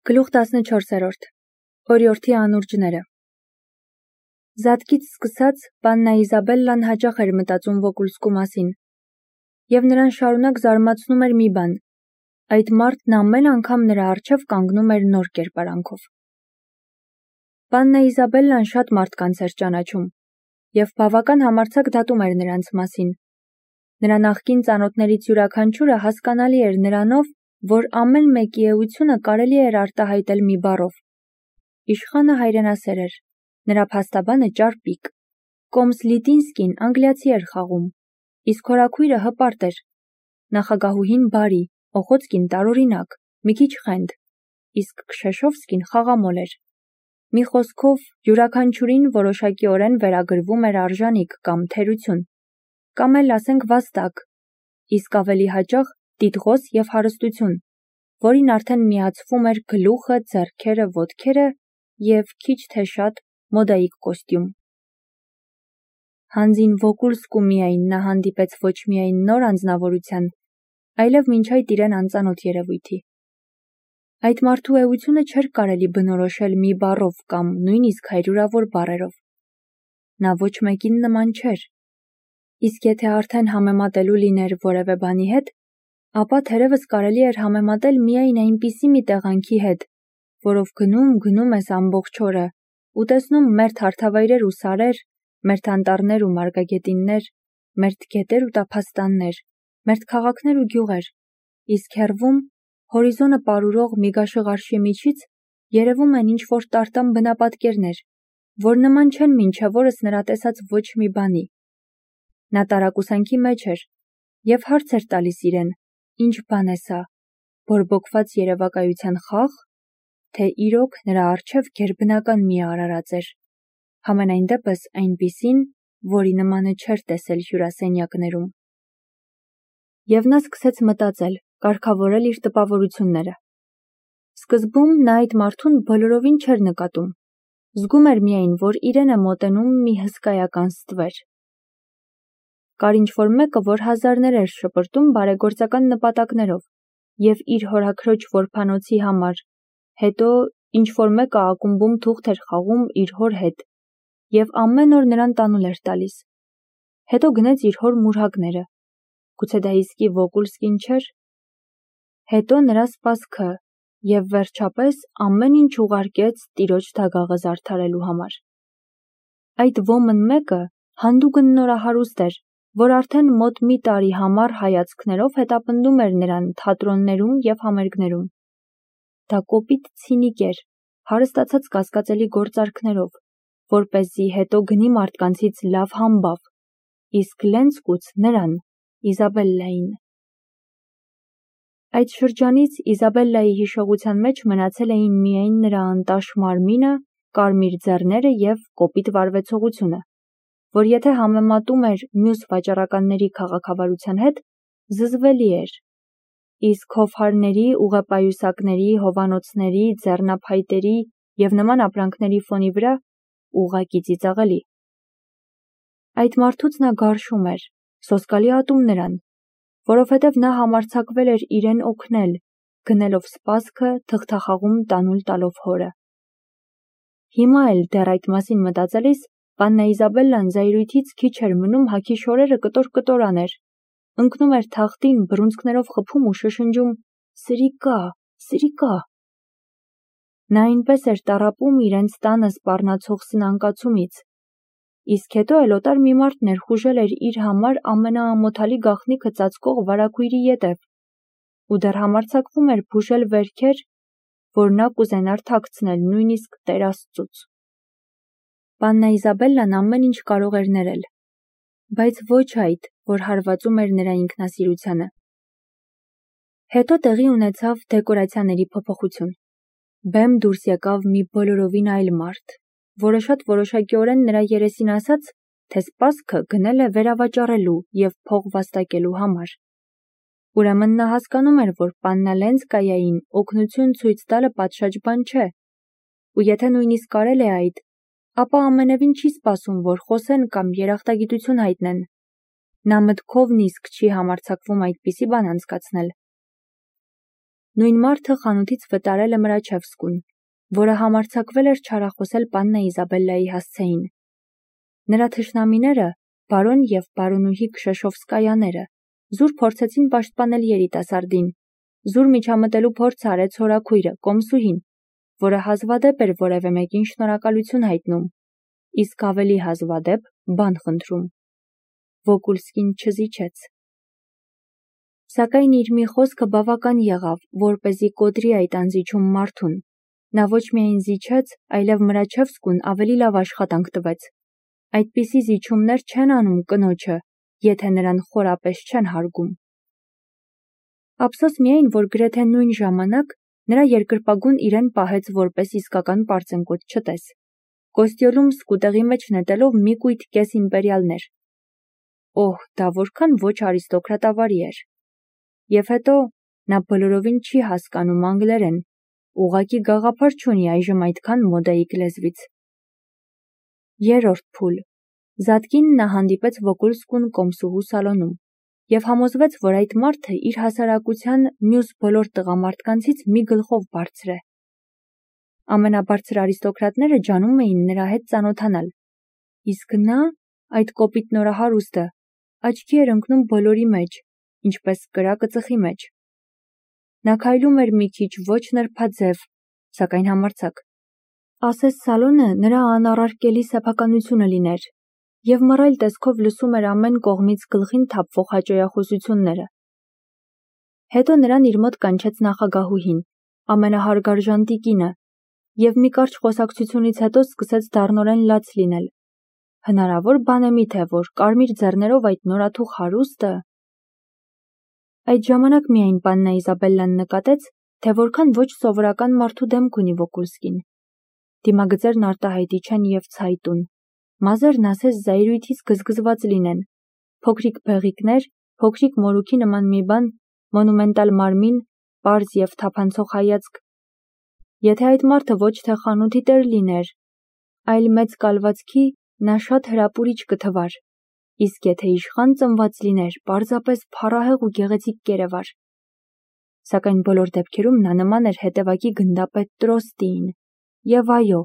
Գլուխ 14. Օրիորդի անուրջները։ Զատկից սկսած Պաննա Իզաբելլան հաճախ էր մտածում Վոկուլսկու մասին, և նրան շարունակ զարմացնում էր մի բան. այդ մարդն ամեն անգամ նրա առջև կանգնում էր նոր կերպարանքով։ Պաննա Իզաբելլան շատ մարդկանց էր ճանաչում, և բավական համարձակ դատում էր նրանց մասին։ Նրա նախկին ծանոթներից յուրաքանչյուրը հասկանալի էր նրանով, որ ամեն մեկի էությունը կարելի էր արտահայտել մի բառով։ Իշխանը հայրենասեր էր, նրա փաստաբանը ճարպիկ, Կոմս Լիտինսկին անգլիացի էր խաղում, իսկ հորաքույրը հպարտ էր, նախագահուհին բարի, Օխոցկին տարօրինակ, մի քիչ խենդ, իսկ Քշեշովսկին խաղամոլ էր։ Մի խոսքով, յուրաքանչյուրին որոշակիորեն վերագրվում էր արժանիք կամ թերություն, կամ էլ ասենք վաստակ, իսկ ավելի հաճախ տիտղոս և հարստություն, որին արդեն միացվում էր գլուխը, ձեռքերը, ոտքերը և քիչ թե շատ մոդայիկ կոստյում։ Հանձին Վոկուլսկու միայն նա հանդիպեց ոչ միայն նոր անձնավորության, այլև մինչ այդ իրեն անծանոթ երևույթի։ Այդ մարդու էությունը չէր կարելի բնորոշել մի բառով կամ նույնիսկ հարյուրավոր բառերով։ Նա ոչ մեկին նման չէր։ Իսկ եթե արդեն համեմատելու լիներ որևէ բանի հետ, ապա թերևս կարելի էր համեմատել միայն այնպիսի մի տեղանքի հետ, որով գնում ես ամբողջ օրը ու տեսնում մերթ հարթավայրեր ու սարեր, մերթ անտառներ ու մարգագետիններ, մերթ գետեր ու տափաստաններ, մերթ քաղաքներ ու գյուղեր, իսկ հեռվում, հորիզոնը պարուրող Միգաշղարշի միջից երևում են ինչ-որ տարտամ բնապատկերներ, որ նման չեն մինչև օրս նրա տեսած ոչ մի բանի։ Նա տարակուսանքի մեջ էր և հարց էր տալիս իրեն. ինչ բան է սա, բորբոքված երևակայության խա՞ղ, թե իրոք նրա առջև գերբնական մի արարած էր, համենայն դեպս այնպիսին, որի նմանը չէր տեսել հյուրասենյակներում։ Եվ նա սկսեց մտածել, կարգավորել իր տպավորությունները։ Սկզբում նա այդ մարդուն բոլորովին չէր նկատում, զգում էր միայն, որ իրեն է մոտենում մի հսկայական ստվեր։ Կար ինչ-որ մեկը, որ հազարներ էր շպրտում բարեգործական նպատակներով և իր հորաքրոջ որբանոցի համար, հետո ինչ-որ մեկը ակումբում թուղթ էր խաղում իր հոր հետ և ամեն օր նրան տանուլ էր տալիս, հետո գնեց իր հոր մուրհակները, գուցե դա իսկի Վոկուլսկին չէր, հետո նրա սպասքը և վերջապես ամեն ինչ ուղարկեց տիրոջ դագաղը զարդարելու համար։ Այդ ոմն մեկը հանդուգն նորահարուստ էր, որ արդեն մոտ մի տարի համառ հայացքներով հետապնդում էր նրան թատրոններում և համերգներում։ Դա կոպիտ ցինիկ էր, հարստացած կասկածելի գործարքներով, որպեսզի հետո գնի մարդկանցից լավ համբավ, իսկ լենցկուց նրան, Իզաբելլային։ Այդ շրջանից Իզաբելլայի հիշողության մեջ մնացել էին միայն նրա անտաշ մարմինը, կարմիր ձեռները և կոպիտ վարվեցողությունը, որ եթե համեմատում էր մյուս վաճառականների քաղաքավարության հետ, զզվելի էր, իսկ հովհարների, ուղեպայուսակների, հովանոցների, ձեռնափայտերի և նման ապրանքների ֆոնի վրա ուղղակի ծիծաղելի։ Այդ մարդուց նա գարշում էր, սոսկալի ատում նրան, որովհետև նա համարձակվել էր իրեն օգնել, գնելով սպասքը թղթախաղում տանուլ տալով հորը։ Հիմա էլ դեռ այդ մասին մտածելիս Պաննա Իզաբելլան զայրույթից քիչ էր մնում հագի շորերը կտոր աներ, ընկնում էր թախտին, բռունցքներով խփում ու շշնջում. «Սրիկա, սրիկա»։ Նա այնպես էր տառապում իրենց տանը սպառնացող սնանկացումից, իսկ հետո էլ օտար մի մարդ ներխուժել էր իր համար ամենաամոթալի գաղտնիքը ծածկող վարագույրի ետև ու դեռ համարձակվում էր բուժել վերքեր, որ նա կուզենար թաքցնել նույնիսկ Տեր Աստծուց։ Պաննա Իզաբելլան ամեն ինչ կարող էր ներել, բայց ոչ այդ, որ հարվածում էր նրա ինքնասիրությանը։ Հետո տեղի ունեցավ դեկորացիաների փոփոխություն։ Բեմ դուրս եկավ մի բոլորովին այլ մարդ, որը շատ որոշակիորեն նրա երեսին ասաց, թե սպասքը գնել է վերավաճառելու և փող վաստակելու համար։ Ուրեմն նա հասկանում էր, որ Պաննա Լենցկայային օգնություն ցույց տալը պատշաճ բան չէ, ու եթե նույնիսկ կարել է այդ, ապա ամենևին չի սպասում, որ խոսեն կամ երախտագիտություն հայտնեն։ Նա մտքով նիսկ չի համարձակվում այդպիսի բան անցկացնել։ Նույն մարդը խանութից վտարել է Մրաչևսկուն, որը համարձակվել էր չարախոսել պաննա Իզաբելլայի հասցեին։ Նրա թշնամիները, բարոն և բարոնուհի Քշեշովսկայաները, զուր փորձեցին պաշտպանել երիտասարդին, զուր միջամտելու փորձ արեց հորաքույրը, կոմսուհին, որը հազվադեպ էր որևէ մեկին շնորհակալություն հայտնում, իսկ ավելի հազվադեպ բան խնդրում։ Վոկուլսկին չզիջեց։ Սակայն իր մի խոսքը բավական եղավ, որպեսզի կոտրի այդ անզիջում մարդուն։ Նա ոչ միայն զիջեց, այլև Մրաչևսկուն ավելի լավ աշխատանք տվեց։ Այդպիսի զիջումներ չեն անում կնոջը, եթե նրան խորապես չեն հարգում։ Ափսոս միայն, որ գրեթե նույն ժամանակ նրա երկրպագուն իրեն պահեց որպես իսկական պարծենկոտ չտես։ Կոստյոլում սկուտեղի մեջ նետելով մի կույտ կես իմպերիալներ։ Օհ, դա որքան ոչ արիստոկրատավարի էր։ Եվ հետո նա բոլորովին չի հասկանում անգլերեն, ուղղակի գաղափար չունի այժմ այդքան մոդայիկ լեզվից։ Երրորդ փուլ։ Զատկին նա հանդիպեց Վոկուլսկուն կոմսուհու սալոնում և համոզվեց, որ այդ մարդը իր հասարակության մյուս բոլոր տղամարդկանցից մի գլխով բարձր է։ Ամենաբարձր արիստոկրատները ջանում էին նրա հետ ծանոթանալ, իսկ նա, այդ կոպիտ նորահարուստը, աչքի էր ընկնում բոլորի մեջ, ինչպես կրակը ծխի մեջ։ Նա քայլում էր մի քիչ ոչ նրբաձև, սակայն համարձակ։ Ասես սալոնը նրա անառարկելի սեփականությունը լիներ, և մռայլ տեսքով լսում էր ամեն կողմից գլխին թափվող հաճոյախոսությունները։ Հետո նրան իր մոտ կանչեց նախագահուհին, ամենահարգարժան տիկինը, և մի կարճ խոսակցությունից հետո սկսեց դառնորեն լաց լինել։ Հնարավոր բան է միթե, որ կարմիր ձեռներով այդ նորաթուխ հարուստը… Այդ ժամանակ միայն պաննա Իզաբելլան նկատեց, թե որքան ոչ սովորական մարդու դեմք ունի Վոկուլսկին։ Դիմագծերն արտահայտիչ են և ցայտուն, մազերն ասես զայրույթից գզգզված լինեն, փոքրիկ բեղիկներ, փոքրիկ մորուքի նման մի բան, մոնումենտալ մարմին, պարզ և թափանցող հայացք։ Եթե այդ մարդը ոչ թե խանութի տեր լիներ, այլ մեծ կալվածքի, նա շատ հրապուրիչ կթվար, իսկ եթե իշխան ծնված լիներ, պարզապես փառահեղ ու գեղեցիկ կերևար։ Սակայն բոլոր դեպքերում նա նման էր հետևակի գնդապետ Տրոստիին, և այո,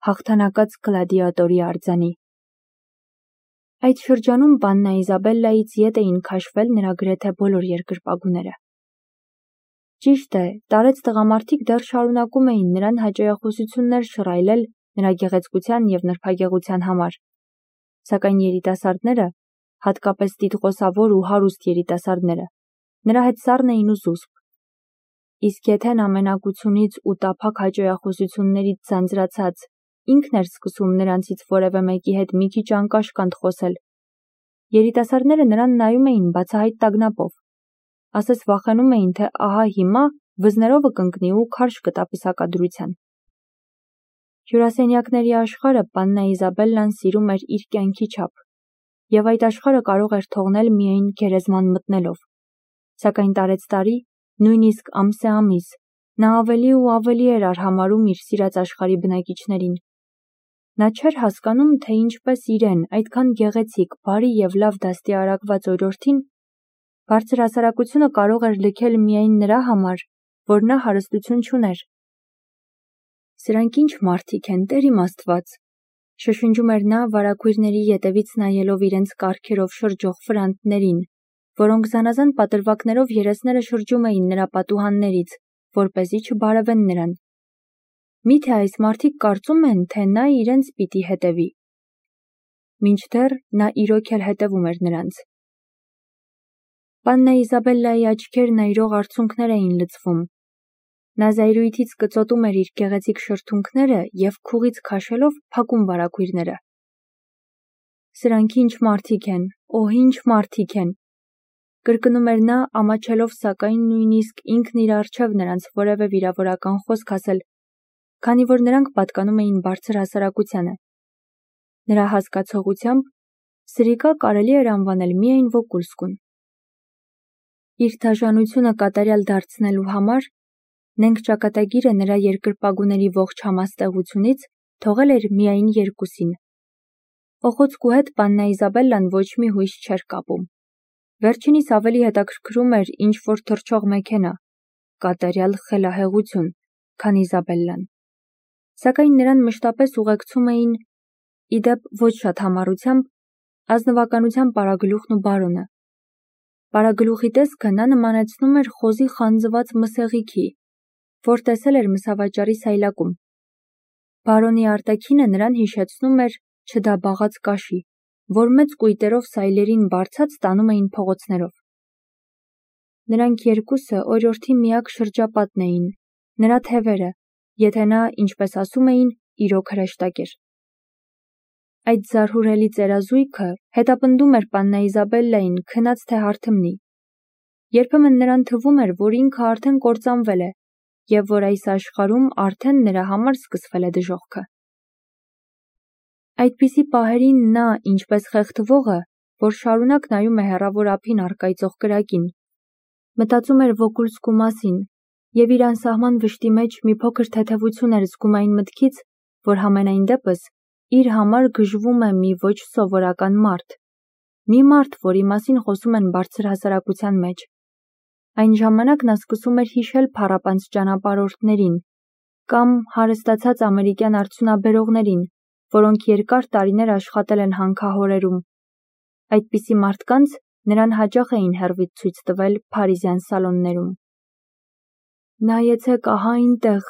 հաղթանակած գլադիատորի արձանի։ Այդ շրջանում պաննա Իզաբելլայից ետ էին քաշվել նրա գրեթե բոլոր երկրպագուները։ Ճիշտ է, տարեց տղամարդիկ դեռ շարունակում էին նրան հաճոյախոսություններ շռայլել նրա գեղեցկության և նրբագեղության համար, սակայն երիտասարդները, հատկապես տիտղոսավոր ու հարուստ երիտասարդները, նրա հետ սառն էին ու զուսպ։ Իսկ եթե նա մենակությունից ու տափակ հաճոյախոսություններից ձանձրացած ինքն էր սկսում նրանցից որևէ մեկի հետ մի քիչ անկաշկանդ խոսել, երիտասարդները նրան նայում էին բացահայտ տագնապով, ասես վախենում էին, թե ահա հիմա վզներովը կընկնի ու քարշ կտա պսակադրության։ Հյուրասենյակների աշխարհը պաննա Իզաբելլան սիրում էր իր կյանքի չափ, և այդ աշխարհը կարող էր թողնել միայն գերեզման մտնելով, սակայն տարեցտարի, նույնիսկ ամսեամիս, նա ավելի ու ավելի էր արհամարհում իր սիրած աշխարհի բնակիչներին։ Նա չէր հասկանում, թե ինչպես իրեն, այդքան գեղեցիկ, բարի և լավ դաստիարակված օրիորդին, բարձր հասարակությունը կարող էր լքել միայն նրա համար, որ նա հարստություն չուներ։ Սրանք ինչ մարդիկ են, Տեր իմ Աստված, շշնջում էր նա վարագույրների ետևից նայելով իրենց կառքերով շրջող ֆրանտներին, որոնք զանազան պատրվակներով երեսները շրջում էին նրա պատուհաններից, որպեսզի չբարևեն նրան։ Միթե այս մարդիկ կարծում են, թե նա իրենց պիտի հետևի։ Մինչդեռ նա իրոք էլ հետևում էր նրանց։ Պաննա Իզաբելլայի աչքերն այրող արցունքներ էին լցվում։ Նա զայրույթից կծոտում էր իր գեղեցիկ շրթունքները և քուղից քաշելով փակում վարագույրները։ Սրանք ինչ մարդիկ են, օհ, ինչ մարդիկ են, կրկնում էր նա, ամաչելով սակայն նույնիսկ ինքն իր առջև նրանց որևէ վիրավորական խոսք ասել, քանի որ նրանք պատկանում էին բարձր հասարակությանը։ Նրա հասկացողությամբ սրիկա կարելի էր անվանել միայն Վոկուլսկուն։ Իր դաժանությունը կատարյալ դարձնելու համար նենգ ճակատագիրը նրա երկրպագուների ողջ համաստեղությունից թողել էր միայն երկուսին։ Օխոցկու հետ պաննա Իզաբելլան ոչ մի հույս չէր կապում։ Վերջինիս ավելի հետաքրքրում էր ինչ-որ թռչող մեքենա, կատարյալ խելահեղություն, քան Իզաբելլան, սակայն նրան մշտապես ուղեկցում էին, իդեպ ոչ շատ համառությամբ, ազնվականության պարագլուխն ու բարոնը։ Պարագլուխի տեսքը նա նմանեցնում էր խոզի խանձված մսեղիքի, որ տեսել էր մսավաճառի սայլակում։ Բարոնի արտաքինը նրան հիշեցնում էր չդաբաղած կաշի, որ մեծ կույտերով սայլերին բարձած տանում էին փողոցներով։ Նրանք երկուսը օրիորդի միակ շրջապատն էին, նրա թևերը, եթե նա, ինչպես ասում էին, իրոք հրեշտակ էր։ Այդ զարհուրելի ծերազույգը հետապնդում էր պաննա Իզաբելլային քնած թե հարթմնի։ Երբեմն նրան թվում էր, որ ինքը արդեն կործանվել է, և որ այս աշխարհում արդեն նրա համար սկսվել է դժոխքը։ Այդպիսի պահերին նա, ինչպես խեղդվողը, որ շարունակ նայում է հեռավոր ափին առկայծող կրակին, մտածում էր Վոկուլսկու մասին և իր անսահման վշտի մեջ մի փոքր թեթևություն էր զգում այն մտքից, որ համենայն դեպս իր համար գժվում է մի ոչ սովորական մարդ, մի մարդ, որի մասին խոսում են բարձր հասարակության մեջ։ Այն ժամանակ նա սկսում էր հիշել փառապանծ ճանապարհորդներին կամ հարստացած ամերիկյան արդյունաբերողներին, որոնք երկար տարիներ աշխատել են հանքահորերում։ Այդպիսի մարդկանց նրան հաճախ էին հեռվից ցույց տվել փարիզյան սալոններում։ Նայեցեք ահա այնտեղ,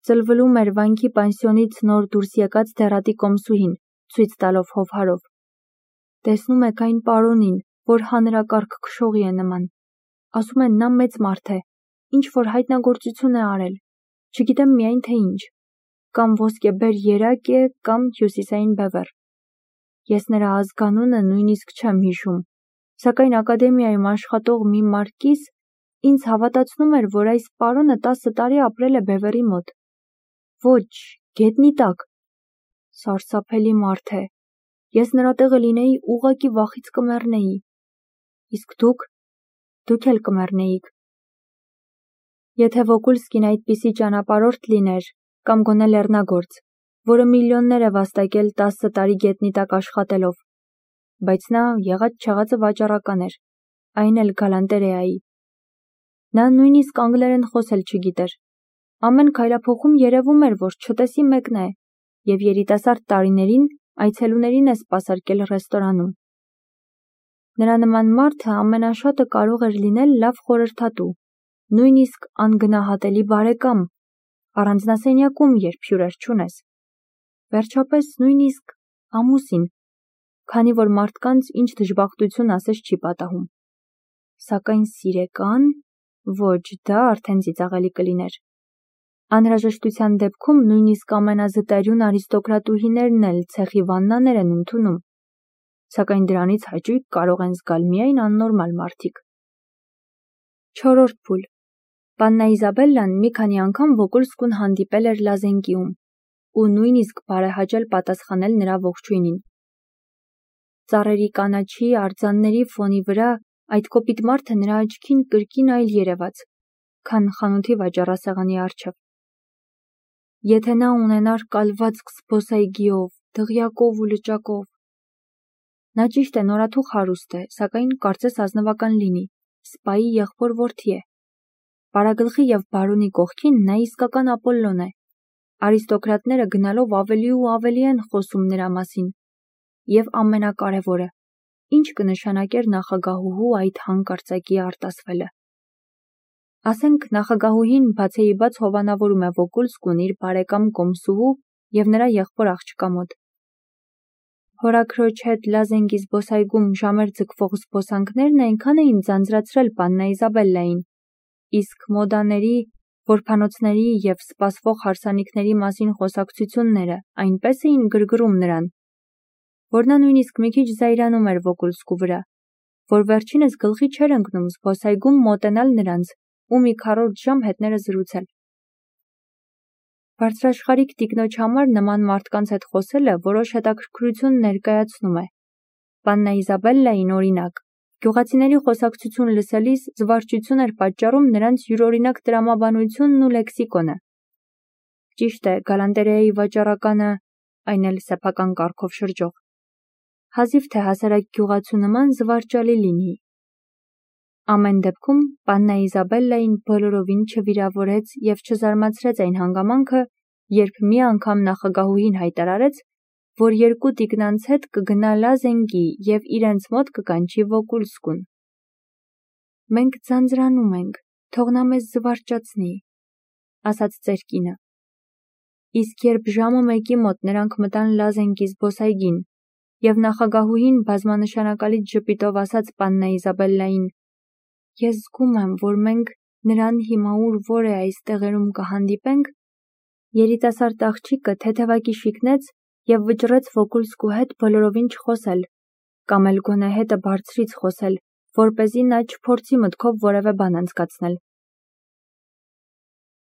ծլվլում էր վանքի պանսիոնից նոր դուրս եկած դեռատի կոմսուհին, ցույց տալով հովհարով։ Տեսնում եք այն պարոնին, որ հանրակարգ քշողի է նման։ Ասում են նա մեծ մարդ է, ինչ-որ հայտնագործություն է արել, չգիտեմ միայն թե ինչ, կամ ոսկեբեր երակ է, կամ հյուսիսային բևեռ։ Ես նրա ազգանունը նույնիսկ չեմ հիշում, սակայն ակադեմիայում աշխատող մի մարկիս ինձ հավատացնում էր, որ այս պարոնը 10 տարի ապրել է բևեռի մոտ։ Ոչ, գետնի տակ։ Սարսափելի մարդ է։ Ես նրա տեղը լինեի, ուղղակի վախից կմեռնեի։ Իսկ դուք էլ կմեռնեիք։ Եթե Վոկուլսկին այդպիսի ճանապարհորդ լիներ, կամ գոնե լեռնագործ, որը միլիոններ է վաստակել 10 տարի գետնի տակ աշխատելով, բայց նա եղած-չեղածը վաճառական էր, այն էլ գալանտերեայի։ Նա նույնիսկ անգլերեն խոսել չգիտեր։ Ամեն քայլափոխում երևում էր, որ չտեսի մեկն է, և երիտասարդ տարիներին այցելուներին է սպասարկել ռեստորանում։ Նրա նման մարդը ամենաշատը կարող էր լինել լավ խորհրդատու, նույնիսկ անգնահատելի բարեկամ, առանձնասենյակում, երբ հյուրեր չունես։ Վերջապես նույնիսկ ամուսին, քանի որ մարդկանց ինչ դժբախտություն ասես չի պատահում։ Սակայն սիրեկան, ոչ, դա արդեն ծիծաղելի կլիներ։ Անհրաժեշտության դեպքում նույնիսկ ամենազտարյուն արիստոկրատուհիներն էլ ցեխի վաննաներ են ընդունում, սակայն դրանից հաճույք կարող են զգալ միայն աննորմալ մարդիկ։ 4-րդ փուլ։ Պաննա Իզաբելլան մի քանի անգամ Վոկուլսկուն հանդիպել էր Լազենկիում ու նույնիսկ բարեհաճել պատասխանել նրա ողջույնին։ Ծառերի կանաչի, արձանների ֆոնի վրա այդ կոպիտ մարդը նրա աչքին կրկին այլ երևաց, քան խանութի վաճառասեղանի առջև։ Եթե նա ունենար կալվածք զբոսայգիով, դղյակով ու լճակով։ Նա ճիշտ է նորաթուխ հարուստ է, սակայն կարծես ազնվական լինի, սպայի եղբոր-որդի է։ Պարագլխի և բարոնի կողքին նա իսկական Ապոլլոն է։ Արիստոկրատները գնալով ավելի ու ավելի են խոսում նրա մասին։ Եվ ամենակարևորը, ինչ կնշանակեր նախագահուհու այդ հանկարծակի արտասվելը։ Ասենք նախագահուհին բացեիբաց հովանավորում է Վոկուլսկուն իր բարեկամ կոմսուհու և նրա եղբոր աղջկա մոտ։ Հորաքրոջ հետ Լազենկի զբոսայգում ժամեր ձգվող զբոսանքներն այնքան էին ձանձրացրել պաննա Իզաբելլային, իսկ մոդաների, որբանոցների և սպասվող հարսանիքների մասին խոսակցությունները այնպես էին գրգռում նրան, որ նա նույնիսկ մի քիչ զայրանում էր Վոկուլսկու վրա, որ վերջինս գլխի չէր ընկնում զբոսայգում մոտենալ նրանց ու մի քառորդ ժամ հետները զրուցել։ Բարձրաշխարհիկ տիկնոջ համար նման մարդկանց հետ խոսելը որոշ հետաքրքրություն ներկայացնում է։ Պաննա Իզաբելլային, օրինակ, գյուղացիների խոսակցություն լսելիս զվարճություն էր պատճառում նրանց յուրօրինակ տրամաբանությունն ու լեքսիկոնը։ Ճիշտ է, գալանտերեայի վաճառականը, այն էլ սեփական կարգով շրջող, հազիվ թե հասարակ գյուղացու նման զվարճալի լինի։ Ամեն դեպքում պաննա Իզաբելլային բոլորովին չվիրավորեց և չզարմացրեց այն հանգամանքը, երբ մի անգամ նախագահուհին հայտարարեց, որ երկու տիկնանց հետ կգնա Լազենգի և իրենց մոտ կկանչի Վոկուլսկուն։ «Մենք ձանձրանում ենք, թող նա մեզ զվարճացնի», ասաց ծեր կինը։ Իսկ երբ ժամը 1-ի մոտ նրանք մտան Լազենգի զբոսայգին, և նախագահուհին բազմանշանակալից ժպիտով ասաց պաննա Իզաբելլային. «Ես զգում եմ, որ մենք նրան հիմա ուր որ է այս տեղերում կհանդիպենք», երիտասարդ աղջիկը թեթևակի շիկնեց և վճռեց Վոկուլսկու հետ բոլորովին չխոսել, կամ էլ գոնե հետը բարձրից խոսել, որպեսզի նա չփորձի մտքով որևէ բան անցկացնել։